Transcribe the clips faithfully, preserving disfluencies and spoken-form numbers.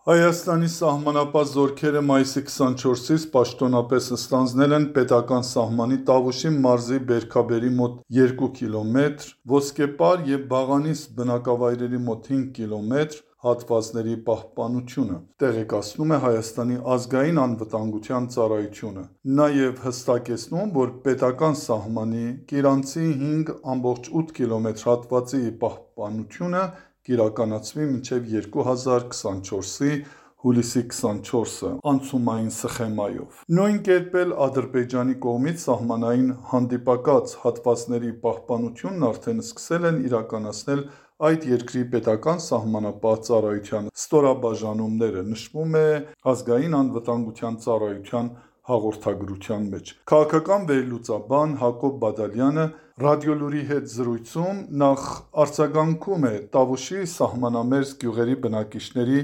Հայաստանի սահմանապահ զորքերը մայիսի քսանչորսից պաշտոնապես ստանձնել են պետական սահմանի Տավուշի մարզի Բերքաբերի մոտ երկու կիլոմետր, Ոսկեպար և Բաղանիս բնակավայրերի մոտ հինգ կիլոմետր հատվածների պահպանությունը, տեղեկացնում է Հայաստանի ազգային անվտանգության ծառայությունը, նաև հստակեցնում, որ պետական սահմանի Կիրանցի հինգ կόμma ութ կիլոմետր հատվածի պահպանությունը կիրականացվի մինչև երկու հազար քսանչորսի հուլիսի քսանչորսը անցումային սխեմայով։ Նույն կերպ էլ Ադրբեջանի կողմից սահմանային հանդիպակաց հատվածների պահպանությունն արդեն սկսել են իրականացնել այդ երկրի պետական սահմանապահ ծառայության ստորաբաժանումները, նշվում է Ազգային անվտանգության ծառայության հաղորդագրության մեջ։ Քաղաքական վերլուծաբան Հակոբ Բադալյանը «Ռադիոլուր»-ի հետ զրույցում նախ արձագանքում է Տավուշի սահմանամերձ գյուղերի բնակիչների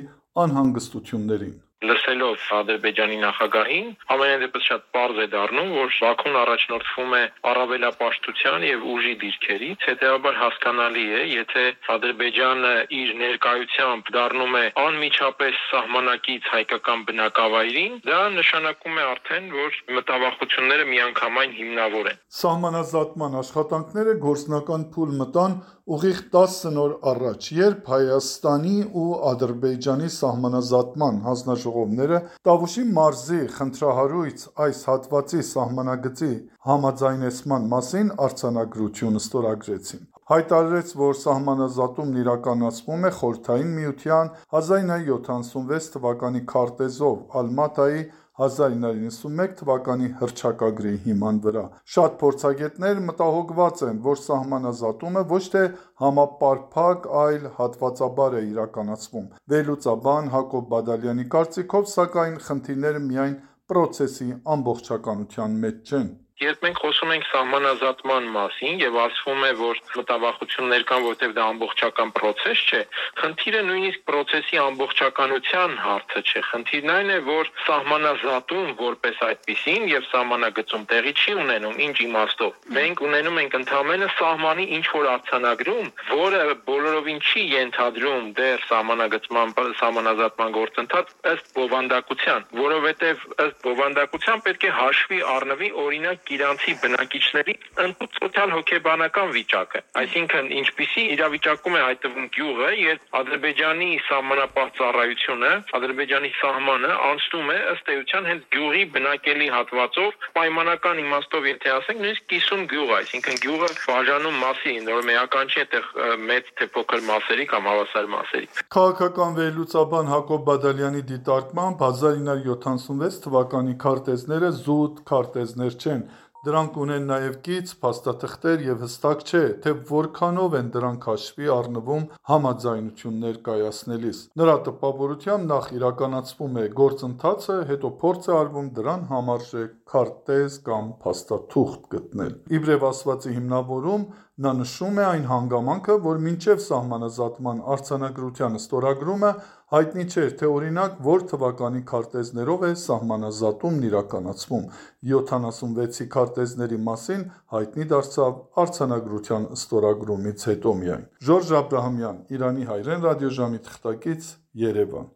անհանգստություններին։ Լսելով Ադրբեջանի նախագահին, ամենայն դեպս շատ պարզ է դառնում, որ Բաքուն առաջնորդվում է առավելապաշտության եւ ուժի դիրքերից, հետեւաբար հասկանալի է, եթե Ադրբեջանը իր ներկայությամբ դառնում է անմիջապես սահմանակից հայկական բնակավայրին, դա նշանակում է արդեն, որ մտավախությունները միանգամայն հիմնավոր են։ Սահմանազատման աշխատանքները գործնական փուլ մտան ուղիղ տասը նոր առաջ, երբ Հայաստանի ու Ադրբեջանի սահմանազատման հանձնաժողովները Տավուշի մարզի խնդրահարույց այս հատվածի սահմանագծի համաձայնեցման մասին արձանագրություն ստորագրեցին։ Հայտարարեց, որ սահմանազատումն իրականացվում է Խորհրդային Միության հազար ինը հարյուր յոթանասունվեց թվականի քարտեզով Ալմատայի հազար ինը հարյուր նվաթ թվականի հռչակագրի հիման վրա։ Շատ փորձագետներ մտահոգված են, որ սահմանազատումը ոչ թե համապարփակ, այլ հատվածաբար է իրականացվում։ Վերլուծաբան Հակոբ Բադալյանի կարծիքով, սակայն, խնդիրները միայն պրոցեսի ամբողջականության մեջ չեն։ Երբ մենք խոսում ենք սահմանազատման մասին եւ ասվում է, որ մտավախություններ կան, որտեղ դա ամբողջական process չէ, խնդիրը նույնիսկ process-ի ամբողջականության հարցը չէ։ Խնդիրն այն է, որ սահմանազատում որպես այդպիսին եւ սահմանագծում տեղի չի ունենում, ինչ իմաստով։ Մենք ունենում ենք ընդհանրապես սահմանի ինչ որ արձանագրում, որը բոլորովին չի ենթադրում դեռ սահմանագծման սահմանազատման գործընթաց ըստ բովանդակության, որովհետեւ ըստ բովանդակության պետք է հաշվի առնվի օրինակ Իրանցի բնակիչների ընդհանուր սոցիալ-հոգեբանական վիճակը, այսինքն ինչպիսի իրավիճակում է հայտնվում գյուղը, երբ Ադրբեջանի սահմանապահ ծառայությունը, Ադրբեջանի սահմանը անցնում է ըստ էության հենց գյուղի բնակելի հատվածով, պայմանական իմաստով եթե ասենք, նույնիսկ կիսուն գյուղ, այսինքն գյուղը բաժանում մասի, նոր մեական չի այդտեղ մեծ թե փոքր մասերի կամ հավասար մասերի։ Քաղաքական վերլուծաբան Հակոբ Բադալյանի դիտարկմամբ հազար ինը հարյուր յոթանասունվեց թվականի քարտեզները զուտ քարտեզներ չեն, դրանք ունեն նաև կից, փաստաթղթեր եւ հստակ չէ, թե որքանով են դրանք հաշվի առնվում համաձայնություններ կայացնելիս։ Նրա տպավորությամբ նախ իրականացվում է գործընթացը, հետո փորձ է արվում դրան համարժեք քարտեզ կամ փաստաթուղթ գտնել։ Իբրև ասվածի հիմնավորում նա նշում է այն հանգամանքը, որ մինչև սահմանազատման արձանագրության ստորագրումը հայտնի չէր, թե օրինակ որ թվականի քարտեզներով է սահմանազատումն իրականացվում։ յոթանասունվեցի քարտեզների մասին հայտնի դարձավ արձանագրության ստորագրումից հետո միայն։ Ժորժ Աբրահամյան, Իրանի հայրեն ռադիոժամի թղթակից, Երևան։